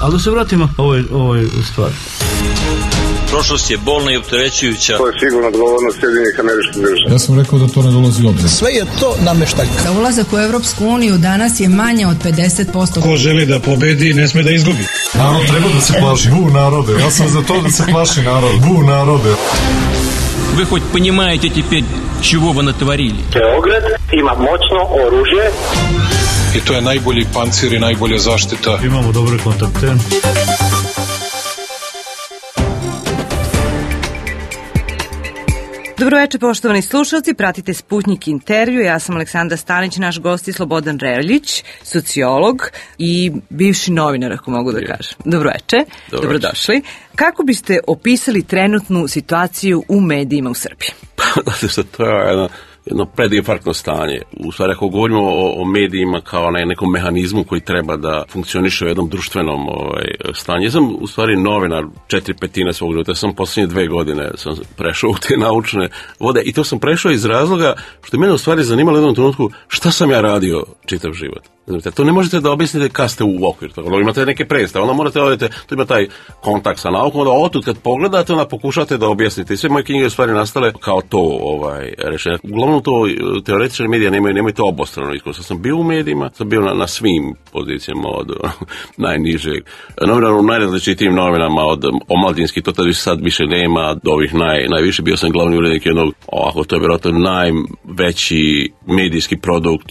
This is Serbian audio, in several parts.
Ali da se vratimo ovoj stvari. Prošlost je bolna i opterećujuća. To je sigurno odgovornost Sjedinjenih Američkih Država. Ja sam rekao da to ne dolazi u obzir. Sve je to nameštaljka. Za ulazak u Evropsku uniju danas je manje od 50%. Ko želi da pobedi, ne sme da izgubi. Narod treba da se plaši. Bu narode. Ja sam za to da se plaši narod. Bu narode. Вы хоть понимаете теперь, чего вы натворили? Beograd ima moćno oružje. I to je najbolji pancir i najbolja zaštita. Imamo dobre kontakte. Dobroveče, poštovani slušalci, pratite Sputnjik intervju. Ja sam Aleksandra Stanić, naš gost je Slobodan Reljić, sociolog i bivši novinar, ako mogu da kažem. Dobroveče, dobrodošli. Kako biste opisali trenutnu situaciju u medijima u Srbiji? To je jedno predinfarktno stanje. U stvari, ako govorimo o medijima kao na nekom mehanizmu koji treba da funkcioniše u jednom društvenom stanju. Ja sam u stvari novinar 4/5 svog života. Ja sam posljednje 2 godine sam prešao u te naučne vode i to sam prešao iz razloga što je mene u stvari zanimalo u jednom trenutku šta sam ja radio čitav život. To ne možete da objasnite kad ste u okviru toga. Imate neke predstave, onda morate odete, to ima taj kontakt sa naukom, onda otud kad pogledate, onda pokušate da objasnite. I sve moje knjige u stvari nastale kao to rešenje. Uglavnom to teoretičari medija nemaju to obostrano iskustvo. Sam bio u medijima, sam bio na svim pozicijama od najnižeg. Novinar u najrazličitijim novinama, od omladinskih, to tada sad više nema, do ovih najviše. Bio sam glavni urednik jednog, to je vjerojatno najveći medijski produkt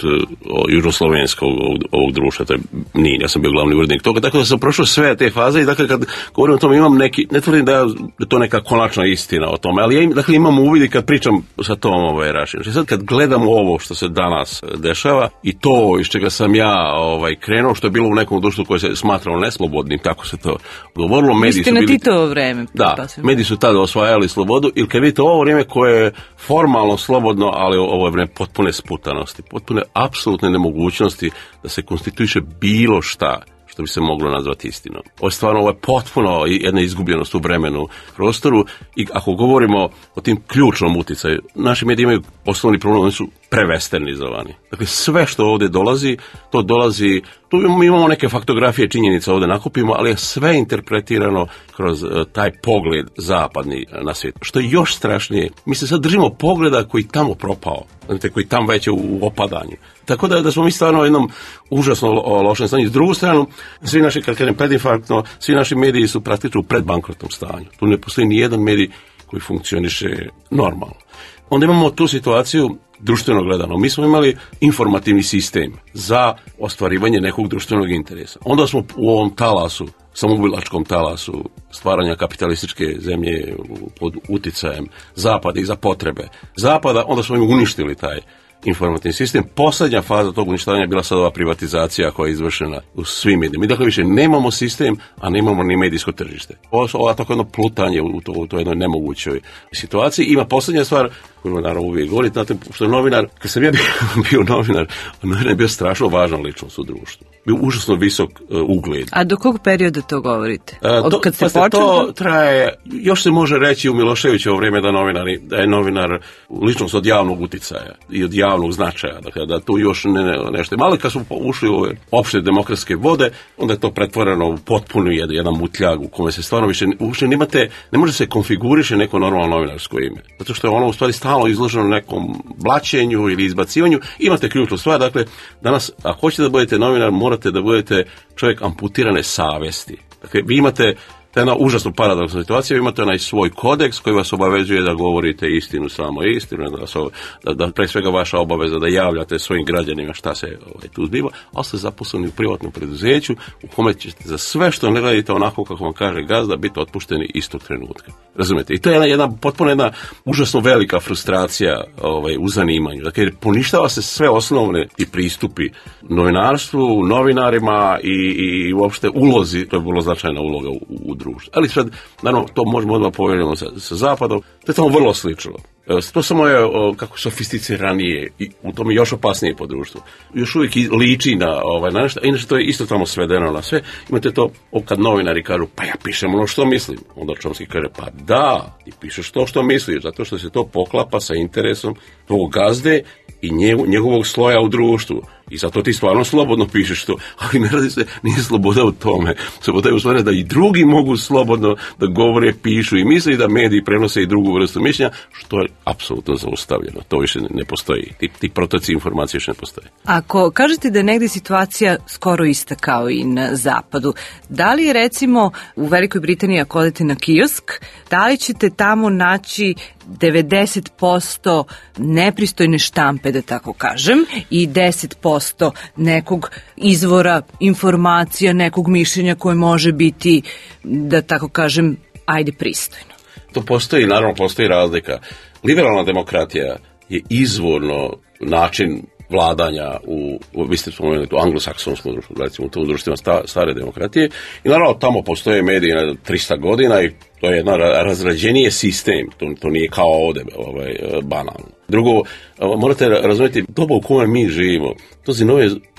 južnoslovenskog ovog društva, to je NIN, ja sam bio glavni urednik toga, tako da sam prošao sve te faze i dakle kad govorim o tome imam neki, ne tvrdim da je to neka konačna istina o tome, ali ja imam uvid i kad pričam sa tom rašinom. Sad kad gledam ovo što se danas dešava i to iz čega sam ja krenuo, što je bilo u nekom društvu koje se smatralo neslobodnim, tako se to govorilo. Mediji su bili... na Titovo vreme. Da, mediji su tada osvajali slobodu ili kad vidite ovo vrijeme koje je formalno slobodno, ali ovo je vrijeme potpune sputanosti, potpune apsolutne nemogućnosti da se konstituiše bilo šta što bi se moglo nazvati istinom. Ovo je potpuno jedna izgubljenost u vremenu, prostoru i ako govorimo o tim ključnom uticaju, naši mediji imaju osnovni problem, oni su prevesternizovani. Dakle, sve što ovdje dolazi, to dolazi, tu imamo neke faktografije, činjenice ovdje nakupimo, ali je sve interpretirano kroz taj pogled zapadni na svijet. Što je još strašnije, mi se sad držimo pogleda koji tamo propao, koji tam već je u opadanju. Tako da smo mi stvarno u jednom užasno lošem stanju. S drugu stranu, svi naši, kad kažem predinfarktno, svi naši mediji su praktično u predbankrotnom stanju. Tu ne postoji ni jedan medij koji funkcioniše normalno. Onda imamo tu situaciju društveno gledano. Mi smo imali informativni sistem za ostvarivanje nekog društvenog interesa. Onda smo u ovom talasu, samoubilačkom talasu stvaranja kapitalističke zemlje pod uticajem Zapada i za potrebe Zapada, onda smo im uništili taj informativni sistem. Posljednja faza tog uništavanja je bila sad ova privatizacija koja je izvršena u svim medijima. Mi dakle više nemamo sistem, a nemamo ni medijsko tržište. Ovo je tako jedno plutanje u toj jednoj nemogućoj situaciji. Ima posljednja stvar koju naravno uvijek govoriti, znate, što je novinar, kad sam ja bio novinar je bio strašno važan ličnost u društvu. Bio užasno visok ugled. A do kog perioda to govorite? Od kad se počeo? To traje, još se može reći u Miloševićevo vrijeme da je novinar ličnost od javnog uticaja i od javnog značaja, dakle da tu još nešto. Malo kad smo ušli u ove opšte demokratske vode, onda je to pretvoreno u potpuno jedan mutljag u kome se stvarno više ne može se konfiguriše neko normalno novinarsko ime. Zato što je ono u stvari stalno izloženo nekom blaćenju ili izbacivanju. Imate ključnu stvar, dakle danas ako hoćete da budete novinar, morate da budete čovjek amputirane savjesti. Dakle, vi imate jedna užasno paradoksna situacija, vi imate onaj svoj kodeks koji vas obavezuje da govorite istinu, samo istinu, da pre svega vaša obaveza da javljate svojim građanima šta se tu zbiva, ali ste zaposleni u privatnom preduzeću u kome ćete za sve što ne radite onako kako vam kaže gazda biti otpušteni istog trenutka. Razumete? I to je potpuno jedna užasno velika frustracija u zanimanju. Dakle, poništava se sve osnovne i pristupi novinarstvu, novinarima i uopšte ulozi, to je vrlo značajna uloga u društvu. Ali sad, naravno, to možemo odmah povjeriti sa Zapadom, to je tamo vrlo slično. To samo je kako sofisticiranije i u tome još opasnije po društvu. Još uvijek liči na nešto, a inače to je isto tamo svedeno na sve. Imate to kad novinari kažu, pa ja pišem ono što mislim. Onda Chomsky kaže, pa da, ti pišeš to što misliš, zato što se to poklapa sa interesom tvog gazde i njegovog sloja u društvu. I zato ti stvarno slobodno pišeš to, ali ne radi se, nije sloboda u tome. Sloboda je u stvari da i drugi mogu slobodno da govore, pišu i misle i da mediji prenose i drugu vrstu mišljenja, što je apsolutno zaustavljeno. To više ne postoji. Ti protoci informacije više ne postoje. Ako kažete da je negdje situacija skoro ista kao i na zapadu, da li je recimo u Velikoj Britaniji ako odete na kiosk, da li ćete tamo naći 90% nepristojne štampe, da tako kažem, i 10% nekog izvora informacija, nekog mišljenja koje može biti, da tako kažem, ajde pristojno? To postoji, naravno postoji razlika. Liberalna demokratija je izvorno način vladanja vi ste spomenuli u anglosaksonskom društvu, recimo u tom društvima stare demokratije, i naravno tamo postoje mediji na 300 godina i to je jedan razrađenije sistem, to nije kao ovdje banalno. Drugo, morate razumjeti doba u kojoj mi živimo, to se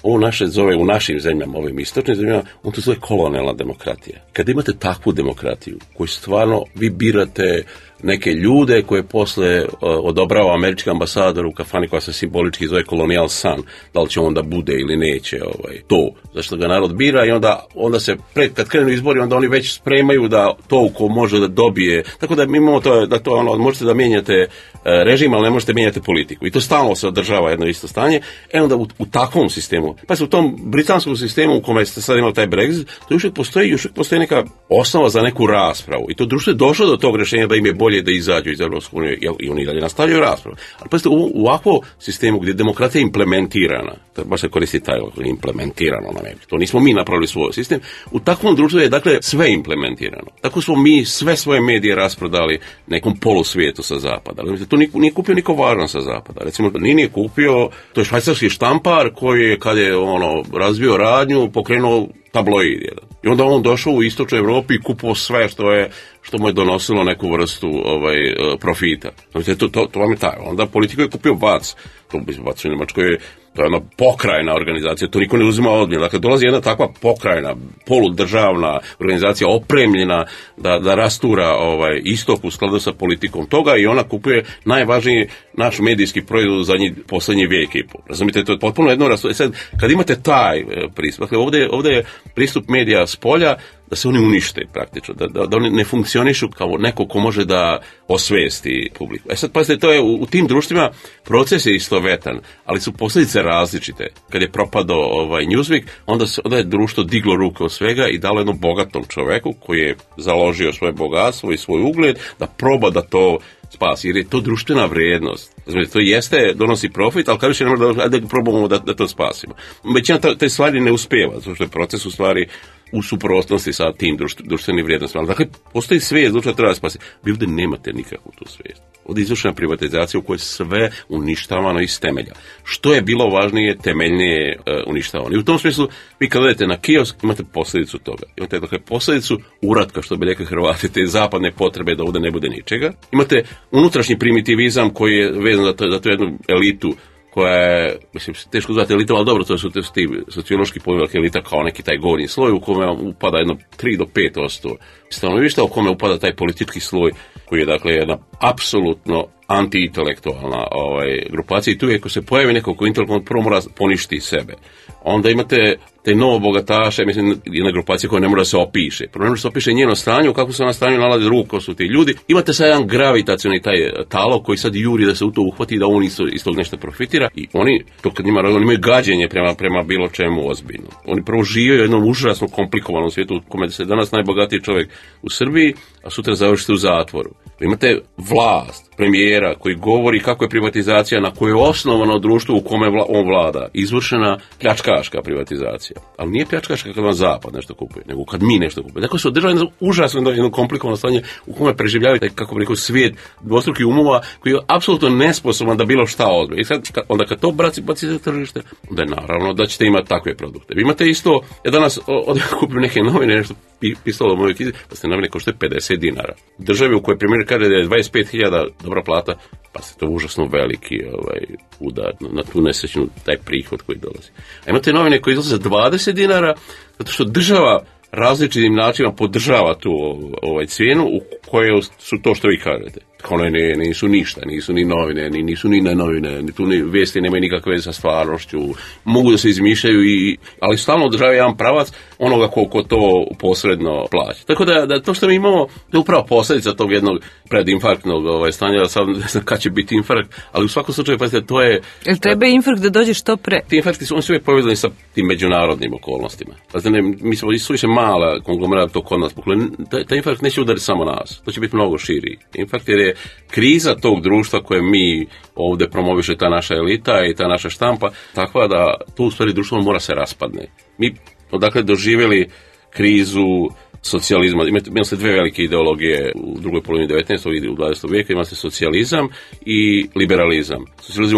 ovo naše zove u našim zemljama, ovim istočnim zemljama, on to zove kolonijalna demokratija. Kad imate takvu demokratiju koju stvarno vi birate neke ljude koje posle odobrava američki ambasador u kafani koja se simbolički zove Colonial Sun, da li će on da bude ili neće to, zašto ga narod bira, i onda se kad krenu izbori, onda oni već spremaju da to ko može da dobije, tako da mi imamo to možete da mijenjate režim, ali ne možete mijenjati politiku, i to stalno se održava jedno isto stanje. Onda u takvom sistemu, pa se u tom britanskom sistemu u kome ste sad imali taj Brexit, to još postoji neka osnova za neku raspravu, i to društvo je došlo do tog rješenja da im je bolje da izađu iz Europske unije, i oni dalje nastavljaju raspravu. Ali pazite, u ovakvom sistemu gdje je demokratija implementirana, to baš se koristi taj implementirano na nebi, to nismo mi napravili svoj sistem, u takvom društvu je dakle sve implementirano. Tako smo mi sve svoje medije rasprodali nekom polusvijetu sa zapada. To nije kupio niko važan sa zapada. Recimo, nije kupio, to je švajcarski štampar koji je, kad je razvio radnju, pokrenuo tabloid jedan. I onda on došao u istočnoj Europi i kupovao sve što mu je donosilo neku vrstu profita. To vam je taj. Onda politiku je kupio VAC. VAC u Njemačkoj to je jedna pokrajna organizacija, to niko ne uzima ozbiljno. Dakle, dolazi jedna takva pokrajna, poludržavna organizacija opremljena da rastura istok u skladu sa politikom toga, i ona kupuje najvažniji naš medijski proizvod za posljednji vijek i pol. Razumite, to je potpuno jedno rastu. Sad, kad imate taj pristup, dakle, ovdje je pristup medija s polja da se oni unište praktično, da oni ne funkcionišu kao neko ko može da osvijesti publiku. Sad, pazite, to je u tim društvima proces je istovetan, ali su posljedice različite. Kad je propadao Newsweek, onda je društvo diglo ruke od svega i dalo jednom bogatom čoveku koji je založio svoje bogatstvo i svoj ugled da proba da to spasi, jer je to društvena vrijednost. Znači, to jeste, donosi profit, ali kada više ne može da probamo da to spasimo. Većina te stvari ne uspijeva, zato što je proces u stvari u suprotnosti sa tim društvenim vrijednostima. Dakle, postoji svijest, društvo treba spasiti. Vi ovdje nemate nikakvu tu svijest. Ovdje je izvršena privatizacija u kojoj sve uništavano iz temelja. Što je bilo važnije, temeljnije uništavano. I u tom smislu, vi kad odete na kiosk, imate posljedicu toga. Imate dakle posljedicu uratka, što bi rekli Hrvati, te zapadne potrebe da ovdje ne bude ničega. Imate unutrašnji primitivizam koji je vezan za tu jednu elitu koja je, mislim, teško zvati elitom, ali dobro, to su ti sociološki pojam elita kao neki taj gornji sloj u kome upada jedno 3 do 5% stanovništva, u kome upada taj politički sloj koji je dakle jedna apsolutno anti-intelektualna grupacija, i tu je ako se pojavi neko ko intelektualno prvo mora poništi sebe. Onda imate te novo bogataše, mislim, jedna grupacija koja ne mora se opiše. Prvo ne mora se opiše njeno stanje, u kakvom se na stanju nalazi drugo ko su ti ljudi. Imate sad jedan gravitacioni taj talog koji sad juri da se u to uhvati, da on iz tog nešto profitira, i oni, to kad njima imaju gađenje prema bilo čemu ozbiljno. Oni prvo žive u jednom užasno komplikovanom svijetu u kome se danas najbogatiji čovjek u Srbiji, a sutra završite u zatvoru. Imate vlast, premijera koji govori kako je privatizacija na kojoj je osnovano društvo u kome on vlada, izvršena pljačkaška privatizacija. Ali nije pljačkaška kad vam zapad nešto kupuje, nego kad mi nešto kupuje. Dakle, se održava jedno komplikovano stanje u kome preživljavaju taj, kako bi rekao, svijet dvostrukih umova koji je apsolutno nesposoban da bilo šta odbije. I sad, onda kad to baci za tržište, onda je naravno da ćete imati takve produkte. Vi imate isto, ja danas kupim neke novine, nešto pisalo u mojoj knjizi, pa ste novine košte 50 dinara. Državi u kojoj premijer kaže da je 25.000 dobra plata, pa se to užasno veliki udar na tu nesrećnu, taj prihod koji dolazi. A imate novine koje izlaze za 20 dinara, zato što država različitim načinima podržava tu cijenu u kojoj su to što vi kažete. nisu ništa, nisu ni novine, nisu ni ne novine, ni tu ni vijesti nemaju nikakve veze sa stvarnošću, mogu da se izmišljaju, ali stalno održavaju jedan pravac onoga ko to posredno plaća. Tako da to što mi imamo je upravo posljedica tog jednog predinfarktnog stanja, sad ne znam kad će biti infarkt, ali u svakom slučaju, pazite, to je... Jel treba infarkt da dođe što pre? Ti infarkti su uvijek povezani sa tim međunarodnim okolnostima. Pazite, mi smo suviše mala konglomerata to kod nas, taj infarkt neće udariti samo nas, to će biti mnogo širi. Infarkt je kriza tog društva koje mi ovdje promoviše ta naša elita i ta naša štampa, takva da tu u stvari društvo mora se raspadne. Mi odakle doživjeli krizu socijalizma, imali ste dve velike ideologije u drugoj polovini 19. i u 20. vijeka, imali ste socijalizam i liberalizam. Socijalizam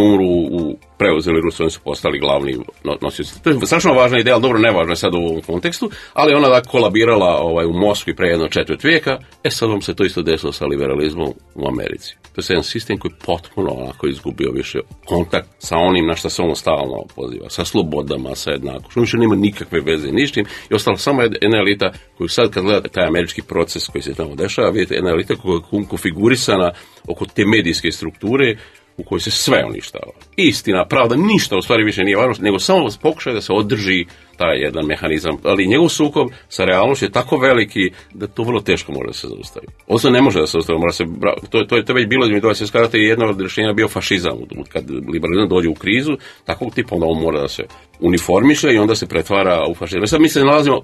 preuzeli Rusi, oni su postali glavni nosioci. To je strašno važna ideja, ali dobro, nevažna je sad u ovom kontekstu, ali ona kolabirala u Moskvi pre jedno četvrt vijeka, sad vam se to isto desilo sa liberalizmom u Americi. To je jedan sistem koji potpuno onako izgubio više kontakt sa onim na što se ono stalno poziva, sa slobodama, sa jednakošću. Više nema nikakve veze ništim i ostala samo jedna elita koju sad kad gledate taj američki proces koji se tamo dešava, vidite jedna elita koja je konfigurisana oko te medijske strukture u kojoj se sve uništava. Istina, pravda, ništa u stvari više nije važno, nego samo pokušaj da se održi taj jedan mehanizam. Ali njegov sukob sa realnošću je tako veliki da to vrlo teško može da se zaustavi. Ovo ne može da se zaustavi, to je već bilo između svjetskih ratova i jedno od rješenja bio fašizam. Kad liberalizam dođe u krizu, takvog tipa onda on mora da se uniformiše i onda se pretvara u fašizam. Sad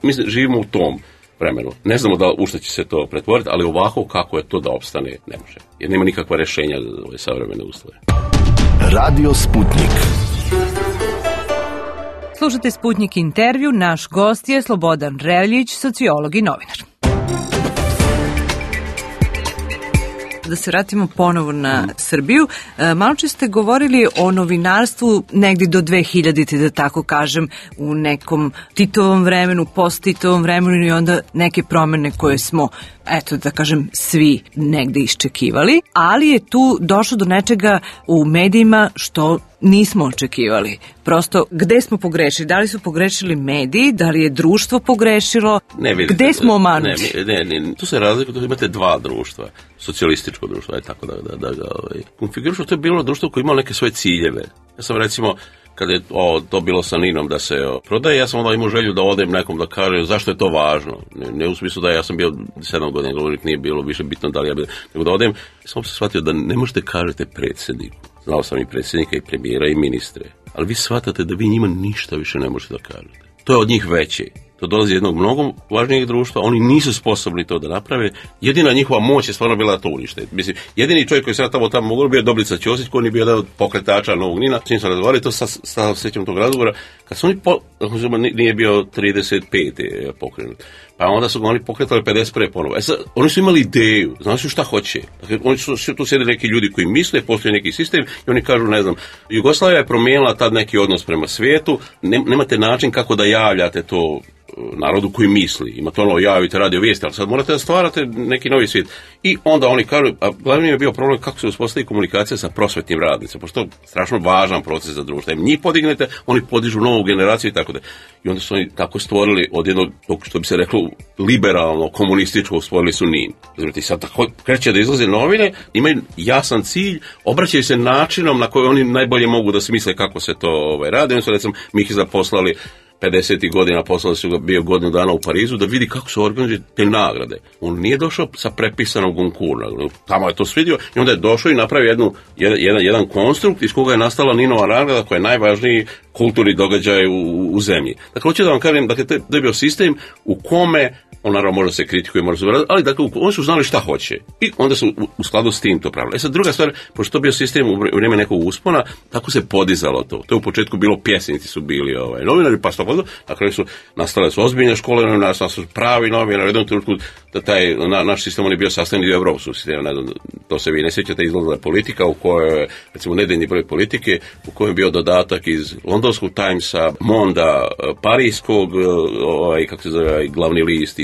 mi živimo u tom vremenu. Ne znamo u što će se to pretvoriti, ali ovako kako je to da opstane, ne može. Jer nema nikakva rješenja za ove savremene uslove. Radio Sputnik. Slušajte Sputnik intervju, naš gost je Slobodan Reljić, sociolog i novinar. Da se vratimo ponovo na Srbiju. Malo čas ste govorili o novinarstvu negdje do 2000-te, da tako kažem, u nekom Titovom vremenu, post-Titovom vremenu i onda neke promjene koje smo, eto da kažem, svi negdje iščekivali, ali je tu došlo do nečega u medijima što nismo očekivali. Prosto, gde smo pogrešili? Da li su pogrešili mediji? Da li je društvo pogrešilo? Gde smo omanuti? Ne, tu se razlikuje, tu imate dva društva. Socijalističko društvo, tako da ga konfigurišu. To je bilo društvo koje imalo neke svoje ciljeve. Ja sam recimo, kad je to bilo sa Ninom da se prodaje, ja sam onda imao želju da odem nekom da kaže zašto je to važno. Ne u smislu da ja sam bio 7 godina govornik, nije bilo više bitno da li ja bio, nego da odem, sam se shvatio da ne možete kažete predsjedniku. Znao sam i predsjednika i premijera i ministre, ali vi shvatate da vi njima ništa više ne možete da kažete. To je od njih veće. To dolazi jednog mnogo važnijeg društva, oni nisu sposobni to da naprave, jedina njihova moć je stvarno bila da to unište. Mislim, jedini čovjek koji se tamo mogao bio Dobrica Ćosić, koji je bio jedan od pokretača Novog Nina, s njim sam razgovarali, to sad sjećam tog razgovora, kad su oni, nije bio 35. pokrenut, pa onda su oni pokretali 51. ponovo. Sad, oni su imali ideju, znali su šta hoće. Dakle, oni su tu sjede neki ljudi koji misle, postoji neki sistem i oni kažu, ne znam, Jugoslavija je promijenila tad neki odnos prema svijetu, nemate način kako da javljate to narodu koji misli. Imate javite radio vijesti, ali sad morate da stvarate neki novi svijet. I onda oni kažu, a glavni je bio problem kako se uspostavi komunikacija sa prosvetnim radnicima, pošto je strašno važan proces za društvo. Njih podignete, oni podižu novu generaciju i tako da. I onda su oni tako stvorili od jednog, što bi se reklo, liberalno, komunističkog, stvorili su NIN. Znači, sad tako kreće da izlaze novine, imaju jasan cilj, obraćaju se načinom na koji oni najbolje mogu da smisle kako se to radi. Oni su, recimo, Mihiza poslali 50. godina, poslali su ga bio godinu dana u Parizu da vidi kako se organizuju te nagrade. On nije došao sa prepisanog Goncourta, tamo je to svidio i onda je došao i napravio jedan konstrukt iz koga je nastala Ninova nagrada koja je najvažniji kulturni događaj u zemlji. Dakle, hoću da vam kažem, dakle, to je bio sistem u kome on naravno može se kritikuje, može se vratiti, ali dakle, oni su znali šta hoće i onda su u skladu s tim to pravili. Sad, druga stvar, pošto to bio sistem u vrijeme nekog uspona, tako se podizalo to. To je u početku bilo pjesnici su bili novinari, pa to na kraju su nastale su ozbiljne škole, nastale su pravi novinari, u jednom trenutku da taj naš sistem on je bio sastavni dio evropskog sistema, ne znam, to se vi ne sjećate, izlazila politika u kojoj, recimo, nedeljni broj politike, u kojem je bio dodatak iz Londonskog Timesa, Monda, Parijskog, kako se zove, glavni list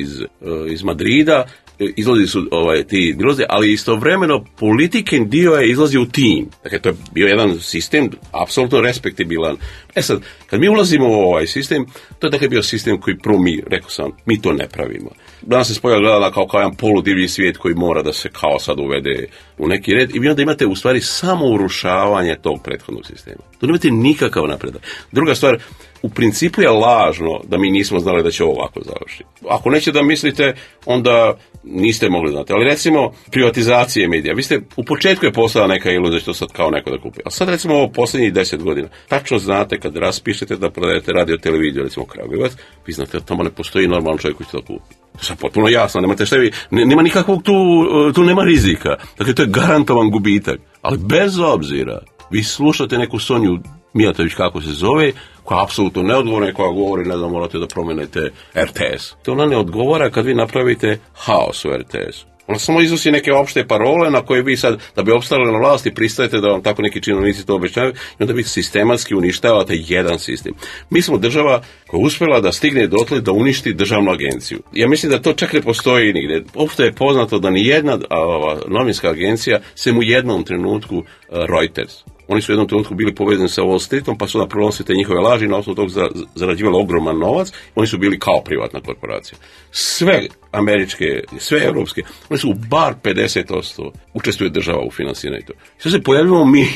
iz Madrida, izlazi su ti dilozi, ali istovremeno politiken dio je izlazi u tim. Dakle, to je bio jedan sistem apsolutno respektibilan. Sad, kad mi ulazimo u ovaj sistem, to je dakle bio sistem koji prvo rekao sam, mi to ne pravimo. Danas se spojava gledala kao jedan poludivlji svijet koji mora da se kao sad uvede u neki red i vi onda imate u stvari samo urušavanje tog prethodnog sistema. Tu nemate nikakav napredak. Druga stvar, u principu je lažno da mi nismo znali da će ovako završiti. Ako neće da mislite, onda niste mogli znati. Ali recimo, privatizacije medija. Vi ste, u početku je postala neka iluzija što sad kao neko da kupi. A sad recimo ovo posljednjih 10 godina. Tačno znate kad raspišete da prodajete radio televiziju, recimo Kragujevac, vi znate da tamo ne postoji normalan čovjek koji će to kupi. To je potpuno jasno, nemate šta vi, nema nikakvog tu nema rizika. Dakle, to je garantovan gubitak. Ali bez obzira, vi slušate neku Sonju Mijatović, kako se zove, koja je apsolutno neodgovorna i koja govori, ne znam, morate da promenete RTS. To ona ne odgovara kad vi napravite haos u RTS-u. Ona samo iznosi neke opšte parole na koje vi sad, da bi opstali na vlasti, pristajete da vam tako neki činovnici to obećaju i onda vi sistematski uništavate jedan sistem. Mi smo država koja je uspjela da stigne dotle da uništi državnu agenciju. Ja mislim da to čak ne postoji nigde. Opšte je poznato da ni jedna novinska agencija, sem u jednom trenutku Reuters. Oni su u jednom trenutku bili povezani sa Wall Streetom, pa su da prenosite njihove laži, na osnovu tog zarađivali ogroman novac, oni su bili kao privatna korporacija. Sve američke, sve europske, oni su bar 50% učestvuje država u finansiranju. Sve se pojavljamo mi,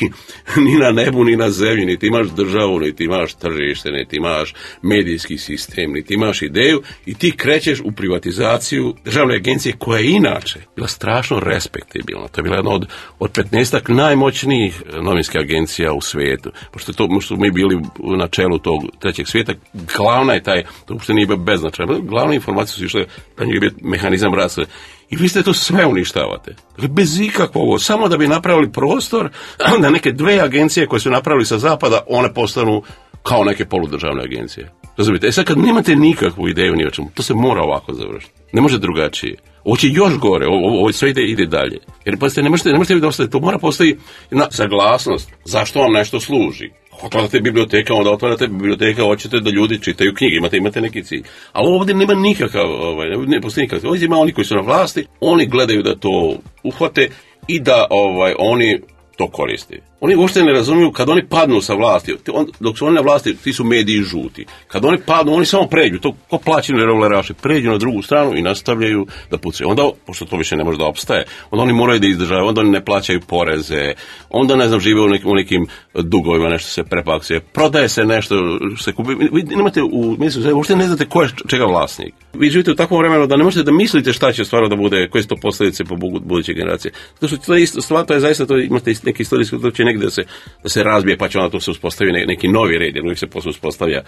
ni na nebu, ni na zemlji, niti imaš državu, niti imaš tržište, niti imaš medijski sistem, niti imaš ideju i ti krećeš u privatizaciju državne agencije koja je inače bila strašno respektibilna. To je bila jedna od 15 najmoćnijih novinskih agencija u svijetu. Pošto smo mi bili na čelu tog trećeg svijeta, glavna je taj, to uopšte nije beznačajno, glavne informacije su išle, da njeg je bio mehanizam rasta. I vi ste to sve uništavate. Dakle, bez ikakvog, samo da bi napravili prostor da neke dve agencije koje su napravili sa zapada, one postanu kao neke poludržavne agencije. Razumite? Sad kad nemate nikakvu ideju ni o čemu, to se mora ovako završiti. Ne može drugačije. Ovo će još gore, ovo sve ide dalje. Jer pazite, ne možete vi da ostavite, to mora postoji jedna saglasnost. Zašto vam nešto služi? Otvarate biblioteka, onda otvarate biblioteka, hoćete da ljudi čitaju knjige, imate neki cilj. Ali ovdje nema nikakav, ne postoji nikakav. Ovdje ima oni koji su na vlasti, oni gledaju da to uhvate i da oni to koriste. Oni uopšte ne razumiju kad oni padnu sa vlasti, dok su oni na vlasti, ti su mediji žuti. Kad oni padnu, oni samo pređu, to ko plaćeni revolveraši, pređu na drugu stranu i nastavljaju da pucaju. Onda, pošto to više ne može da opstaje, onda oni moraju da izdržavaju, onda oni ne plaćaju poreze, onda, ne znam, žive u nekim dugovima, nešto se prepakcije, prodaje se nešto, se kupi. Vi nemate uopšte ne znate ko je čega vlasnik. Vi živite u takvom vremenu da ne možete da mislite šta će stvarno da bude, koje su to posljedice po buduće generacije. Zato što to je isto stvar, to je zaista, to imate neki istorijski, to će negdje da se razbije, pa će onda to se uspostavi neki novi red, jer uvijek se posle uspostavlja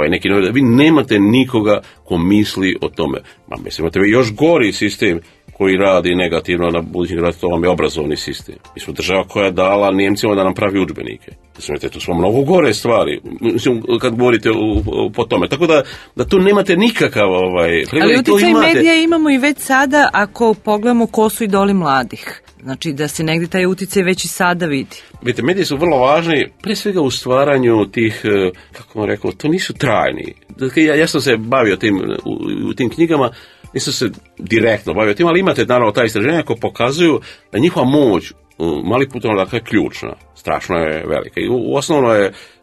neki novi red. Vi nemate nikoga ko misli o tome. Mislim, imate vi još gori sistem koji radi negativno na budućim generacijama, to vam je obrazovni sistem. Mi smo država koja je dala Njemcima da nam pravi udžbenike. Mislim, to su mnogo gore stvari, mislim, kad govorite po tome. Tako da tu nemate nikakav... Ali uticaj medija imamo i već sada, ako pogledamo ko su idoli mladih. Znači da se negdje taj uticaj već i sada vidi. Vidite, mediji su vrlo važni, prije svega u stvaranju tih, kako vam rekao, to nisu trajni. Dakle, ja sam se bavio u tim knjigama, nisam se direktno bavio tim, ali imate naravno ta istraženja koja pokazuju da njihova moć malih putovanja je ključna, strašno je velika. I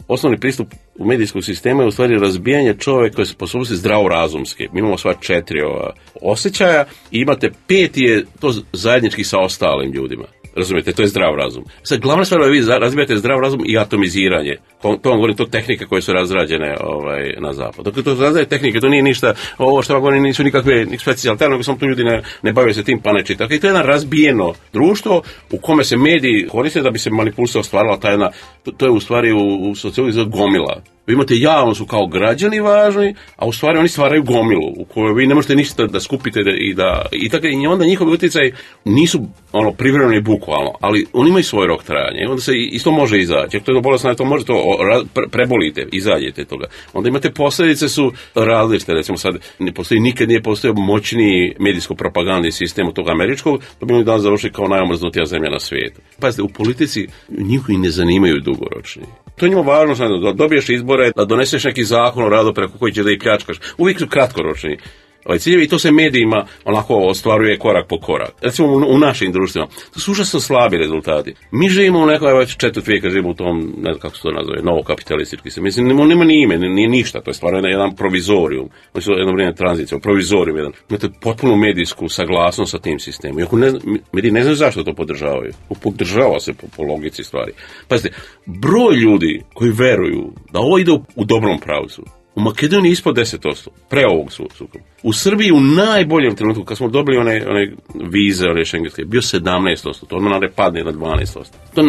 osnovni pristup u medijskog sistema je u stvari razbijanje čovjeka koje se sposobnosti zdravorazumske. Mi imamo sva 4 osjećaja i imate 5 je to zajednički sa ostalim ljudima. Razumijete, to je zdrav razum. Sad, glavna stvar je vi razvijate zdrav razum i atomiziranje. To vam govorim, to tehnike koje su razrađene na zapadu. Dakle, to razrađene tehnike, to nije ništa, ovo što vam govorim nisu nikakve specijalne, nego samo tu ljudi ne bave se tim pa ne čitaju. Dakle, to je jedno razbijeno društvo u kome se mediji koriste da bi se manipulacija ostvarila ta jedna, to je u stvari u sociologiji gomila. Vi imate javno su kao građani važni, a u stvari oni stvaraju gomilu u kojoj vi ne možete ništa da skupite i onda njihovi utjecaj nisu privremeno i bukvalno, ali oni imaju svoj rok trajanja i onda se isto može izaći. To je bolesno, to možete prebolite, izađete toga. Onda imate posljedice su različite, recimo sad nikad nije postojao moćniji medijsko-propagandni sistem od tog američkog, to bi oni danas završili kao najomrznutija zemlja na svijetu. Pazite, u politici njihovi ne zanimaju dugoročni. To je njima važno, da dobiješ izbore, da doneseš neki zakon o radu preko koji će da ih pljačkaš. Uvijek su kratkoročni. ciljevi i to se medijima onako ostvaruje korak po korak. Recimo u našim društvima, to su užasno slabi rezultati. Mi živimo u nekoj već četvrt vijeka, živimo u tom, ne znam kako se to nazove, novokapitalistički se. Mislim, nema ni ime, nije ništa, to je stvarno jedan provizorium. Oni su jedno vrijeme tranzicija, provizorium jedan. Imate potpunu medijsku saglasnost sa tim sistemom. Iako mediji ne znaju zašto to podržavaju. Podržava se po logici stvari. Pazite, broj ljudi koji veruju da ovo ide u dobrom pravcu, u Makedoniji ispod 10%, pre ovog sukoba. U Srbiji u najboljem trenutku, kad smo dobili one vize, one šengenske, bio 17%, to odmah padne na 12%. To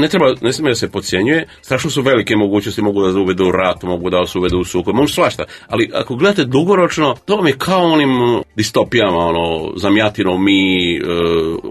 ne smije da se podcjenjuje, strašno su velike mogućnosti, mogu da uvedu u rat, mogu da se uvedu u sukob, mogu svašta, ali ako gledate dugoročno, to vam je kao onim distopijama, Zamjatino, mi,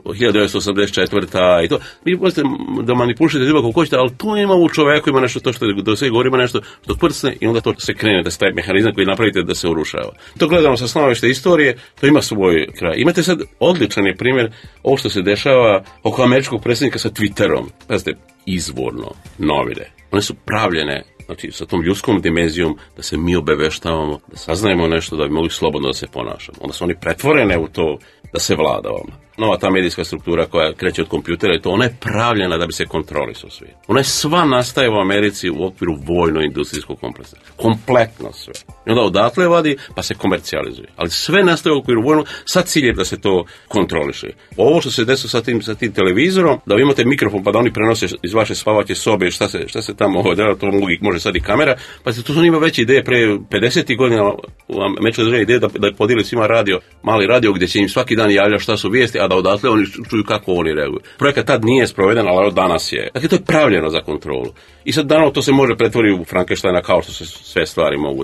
1984. I to, vi možete da manipulišete ljubav kako hoćete, ali to ima u čoveku, ima nešto to što do sve govori, ima nešto što prsne i onda to se krene da staje mehanizam koji napravite da se urušava. To gledamo sa stanovišta istorije, to ima svoj kraj. Imate sad odličan je primjer ovo što se dešava oko američkog predsjednika sa Twitterom. Pazite, izvorno novine. One su pravljene, znači sa tom ljudskom dimenzijom da se mi obaveštavamo, da saznajemo nešto, da bi mogli slobodno da se ponašamo. Onda su oni pretvorene u to da se vlada vama. Nova ta medijska struktura koja kreće od kompjutera i to, ona je pravljena da bi se kontrolisao svijet. Ona je sva nastaje u Americi u okviru vojno-industrijskog kompleksa. Kompletno sve. I onda odatle vadi pa se komercijalizuje. Ali sve nastaje u okviru vojno sa ciljem da se to kontroliše. Ovo što se desilo sa tim televizorom, da vi imate mikrofon pa da oni prenose iz vaše spavaće sobe šta se tamo odela, to može sad i kamera, pa to su ima veće ideje pre 50 godina u američkoj državi ideje da podijeli svima mali radio gdje će im svaki dan javlja šta su vijesti, a da odatle oni čuju kako oni reaguju. Projekat tad nije sproveden, ali danas je. Dakle, to je pravljeno za kontrolu. I sad danas to se može pretvoriti u Frankensteina kao što se sve stvari mogu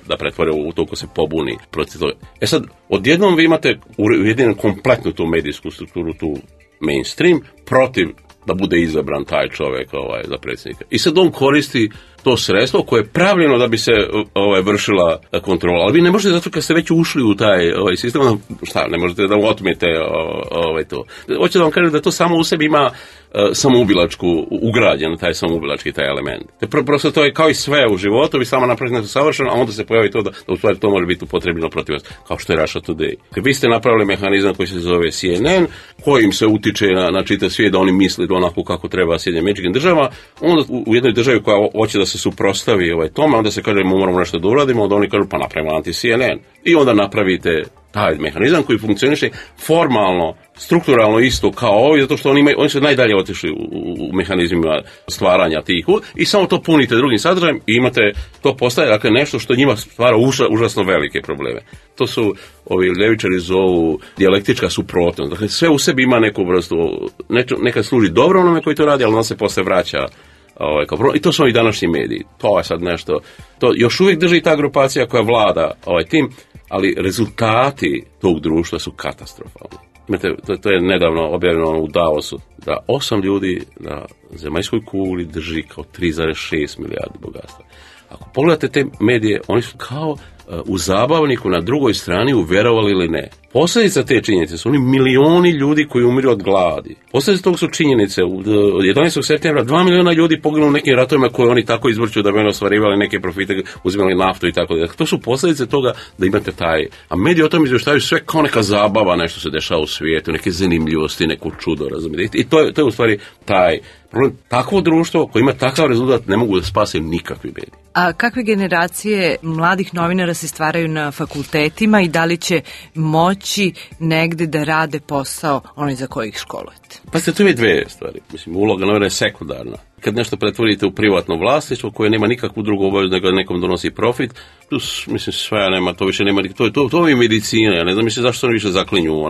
da pretvore u to ko se pobuni protiv toga. Sad, odjednom vi imate ujedinjenu kompletnu tu medijsku strukturu, tu mainstream, protiv da bude izabran taj čovjek za predsjednika. I sad on koristi to sredstvo koje je pravljeno da bi se vršila kontrola. Ali vi ne možete, zato kad ste već ušli u taj sistem, ne možete da mu otmete to. Hoću da vam kažem da to samo u sebi ima samoubilačku, ugrađen taj samoubilački taj element. Prosto to je kao i sve u životu, vi samo napravite nešto savršeno, a onda se pojavi to da u stvari to može biti upotrebljeno protiv vas, kao što je Russia Today. Kad vi ste napravili mehanizam koji se zove CNN, kojim se utiče na čitav svijet da oni misle onako kako treba Sjedinjenim Američkim Državama, onda u jednoj državi koja hoće da se suprotstavi tome, onda se kaže moramo nešto da uradimo, onda oni kažu pa napravimo anti-CNN. I onda napravite taj mehanizam koji funkcioniše formalno, strukturalno isto kao ovi, zato što oni su najdalje otišli u mehanizmima stvaranja tih i samo to punite drugim sadržajem i imate, to postaje dakle nešto što njima stvara užasno velike probleme. To su ovi ljevičari zovu dijalektička suprotnost. Dakle, sve u sebi ima neku vrstu, nekad služi dobro onome koji to radi, ali on se posle vraća i to su ovi današnji mediji. To je sad nešto, to još uvijek drži ta grupacija koja vlada tim, ali rezultati tog društva su katastrofalni. To je nedavno objavljeno u Davosu, da 8 ljudi na zemaljskoj kugli drži kao 3,6 milijardi bogatstva. Ako pogledate te medije, oni su kao u zabavniku na drugoj strani, uvjerovali ili ne. Posljedica te činjenice su oni milioni ljudi koji umiru od gladi. Posljedica tog su činjenice. Od 11. septembra 2 miliona ljudi poginulo u nekim ratovima koje oni tako izvrću da bi oni ostvarivali neke profite, uzimali naftu i tako dalje. To su posljedice toga da imate taj. A mediji o tom izvještavaju sve kao neka zabava, nešto se dešava u svijetu, neke zanimljivosti, neko čudo, razumijete. I to je u stvari taj problem. Takvo društvo koje ima takav rezultat ne mogu da spase nikakvi mediji. A kakve generacije mladih novinara se stvaraju na fakultetima i da li će moći negde da rade posao onaj za koji ih školujete? Pa tu je dve stvari. Mislim, uloga novinara je sekundarna. Kad nešto pretvorite u privatno vlasništvo koje nema nikakvu drugu obavezu nego nekom donosi profit, mislim sve nema, to više nema, to je medicina, ja ne znam zašto oni više zaklinju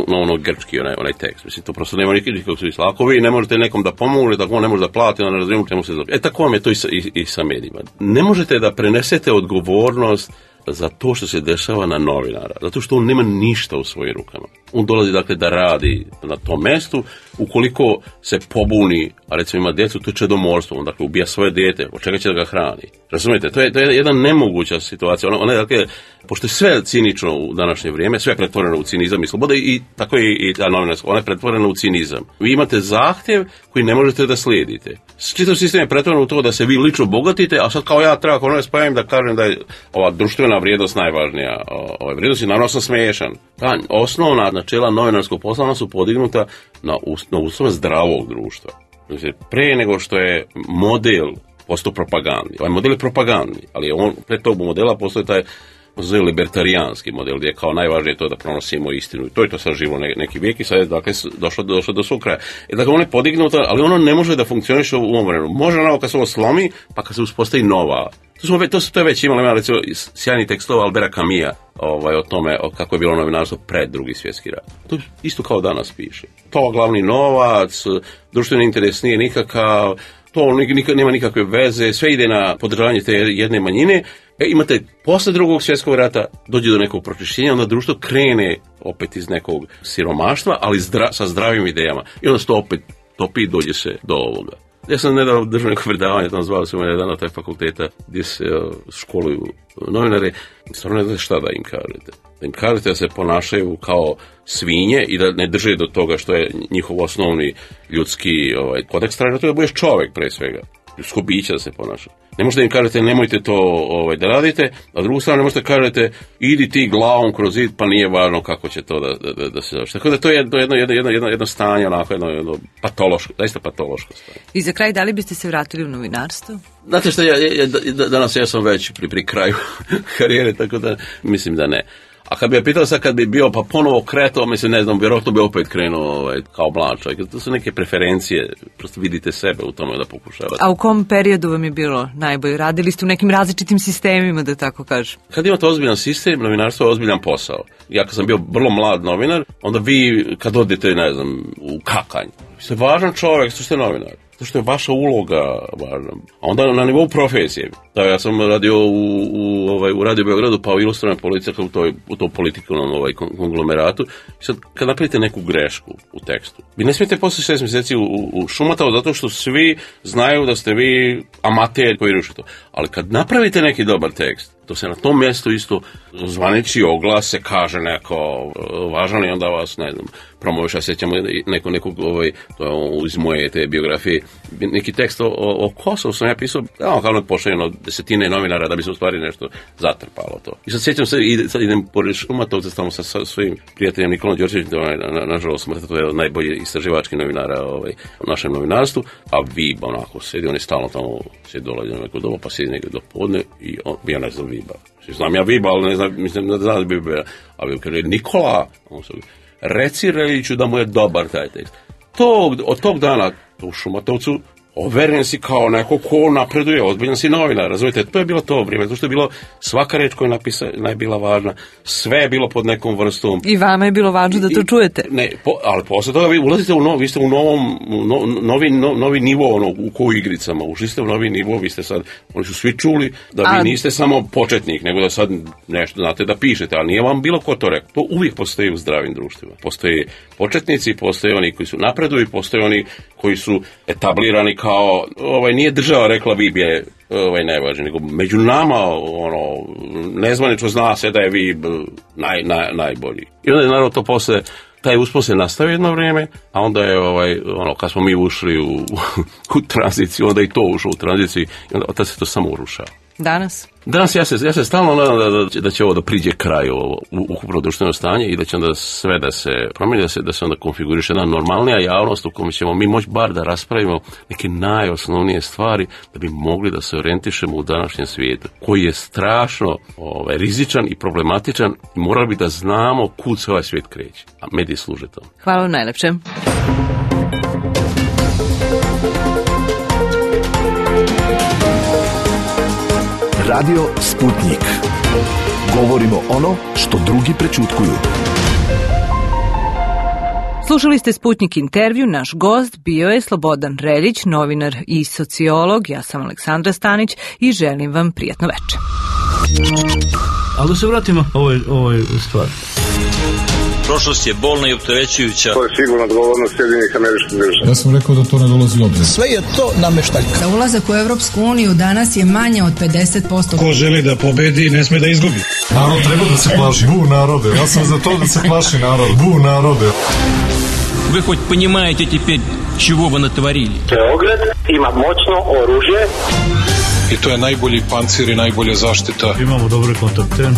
ono grčki, onaj tekst, mislim, to prosto nema nikakvog smisla. Ako vi ne možete nekom da pomognete, ako on ne može da plati, onda ne razumijem čemu se zove. Tako vam je to i sa medijima. Ne možete da prenesete odgovornost za to što se dešava na novinara, zato što on nema ništa u svojim rukama. On dolazi dakle da radi na tom mestu, ukoliko se pobuni, a recimo ima djecu, to je čedomorstvo, on dakle ubija svoje dijete, od čega će da ga hrani. Razumijete, to je jedna nemoguća situacija. Ona je dakle, pošto je sve cinično u današnje vrijeme, sve je pretvoreno u cinizam i sloboda i tako je i ta novinarska, ona je pretvorena u cinizam. Vi imate zahtjev koji ne možete da slijedite. čitav sistem je pretvoren u to da se vi lično bogatite, a sad kao ja treba ako ne spajam da kažem da je ova društvena vrijednost najvažnija. Vrijednost je naravno sam smiješan. Ta osnovna načela novinarskog posla su podignuta na uslove zdravog društva. Pre nego što je model postao propagandni. Ovaj model je propagandni, ali on pre tog modela postoji taj libertarijanski model gdje je kao najvažnije to da pronosimo istinu. To je to sad živo neki vijek i sad je dakle, došlo do svog kraja. Dakle, on je podignuto, ali ono ne može da funkcioniše u ovom vremenu. Može ono kad se ovo slomi, pa kad se uspostavi nova. To je već imali, recimo, sjajni tekstova Albera Camusa o tome kako je bilo novinarstvo pred Drugi svjetski rat. To isto kao danas piše. To glavni novac, društveni interes nije nikakav, to nema nikakve veze, sve ide na podržavanje te jedne manjine. Imate posle Drugog svjetskog rata dođe do nekog pročišćenja, onda društvo krene opet iz nekog siromaštva, ali sa zdravim idejama. I onda se to opet topi i dođe se do ovoga. Ja sam nedavno držao neko predavanje, tamo zvali su me jedan od taj fakulteta gdje se školuju novinare. Stvarno ne znate šta da im kažete. Da im kažete da se ponašaju kao svinje i da ne drže do toga što je njihov osnovni ljudski kodeks traži, to je da budeš čovjek pre svega. Ljudsko biće da se ponaša. Ne možete im kažete nemojte to da radite, a drugu stranu ne možete kažete idi ti glavom kroz zid pa nije važno kako će to da se završi. Tako da to je jedno stanje, onako jedno patološko, zaista patološko stanje. I za kraj, da li biste se vratili u novinarstvo? Znate što, danas ja sam već pri kraju karijere, tako da mislim da ne. A kad bi je pitao sad kad bi bio pa ponovo kretao, mislim ne znam, vjerojatno bi opet krenuo kao mlad čovjek. To su neke preferencije, prosto vidite sebe u tome da pokušavate. A u kom periodu vam je bilo najbolje? Radili ste u nekim različitim sistemima, da tako kažem? Kad imate ozbiljan sistem, novinarstvo je ozbiljan posao. Ja kad sam bio vrlo mlad novinar, onda vi kad odete, ne znam, u kakanj, vi ste važan čovjek, ste novinar. To što je vaša uloga važna. A onda na nivou profesije. Da, ja sam radio u Radio Beogradu, pa u ilustrovnoj politici u tom politikovnom konglomeratu. I sad, kad napravite neku grešku u tekstu, vi ne smijete posle 6 mjeseci u šumatao zato što svi znaju da ste vi amater koji ruši to. Ali kad napravite neki dobar tekst, to se na tom mjestu isto zvaniči oglas, se kaže neko važan i onda vas, ne znam, promoviš, ja sjećam nekog iz moje te biografije, neki tekst o Kosovu sam ja pisao, kao pošaljeno desetine novinara da bi se u stvari nešto zatrpalo to. I sad sjećam se, sad idem pored Šumatovca tamo sa svojim prijateljem Nikolom Đorđevićem, nažalost smrta, to je od najbolji istraživački novinara u našem novinarstvu, a Vib onako sedi, on je stalno tamo sjedi dolazi na neko doba, pa sjedi negdje do podne i ja ne znam Viba. Znam ja Viba, ali ne znam, mislim da znam Viba, a Vib kaže Nikola, reci Reljiću da mu je dobar taj tekst. Od tog dana u Šumatovcu overen si kao neko ko napreduje, ozbiljan si novinar, razumijete, to je bilo to vrijeme, zato što je bilo svaka reč koja je bila važna, sve je bilo pod nekom vrstom. I vama je bilo važno da to čujete. Ali posle toga vi ulazite vi ste u novi nivo u koju igricama, ušli ste u novi nivo, vi ste sad, oni su svi čuli da vi niste samo početnik, nego da sad nešto znate da pišete, ali nije vam bilo ko to rekao. To uvijek postoji u zdravim društvima. Postoji početnici, postoje oni koji su napreduju, postoje oni koji su etablirani kao, nije država rekla Vib je najvažniji, nego među nama, nezvanično zna se da je Vib najbolji. I onda je naravno to posle, taj uspon se nastavio jedno vrijeme, a onda je, kad smo mi ušli u tranziciju, onda i to ušlo u tranziciju i onda se to samo urušava. Danas ja se stalno nadam da će ovo da priđe kraju ukupno društveno stanje i da će onda sve da se promijeni, da se onda konfiguriše jedna normalnija javnost u kojoj ćemo mi moći bar da raspravimo neke najosnovnije stvari da bi mogli da se orijentišemo u današnjem svijetu koji je strašno rizičan i problematičan i morali bi da znamo kud se ovaj svijet kreće, a mediji služe tome. Hvala vam najlepše. Radio Sputnik. Govorimo ono što drugi prečutkuju. Slušali ste Sputnik intervju, naš gost bio je Slobodan Reljić, novinar i sociolog, ja sam Aleksandra Stanić i želim vam prijatno večer. Ali da se vratimo ovoj stvari. Prošlost je bolna i opterećujuća. To je sigurno odgovornost Sjedinjenih Američkih Država. Ja sam rekao da to ne dolazi u obzir. Sve je to nameštaljka. Za ulazak u Evropsku uniju danas je manje od 50%. Ko želi da pobedi, ne sme da izgubi. Narod treba da se plaši. Bu narode. Ja sam za to da se plaši narod. Bu narode. Вы хоть понимаете теперь, чего вы натворили. Beograd ima moćno oružje. I to je najbolji pancir i najbolja zaštita. Imamo dobre kontakte.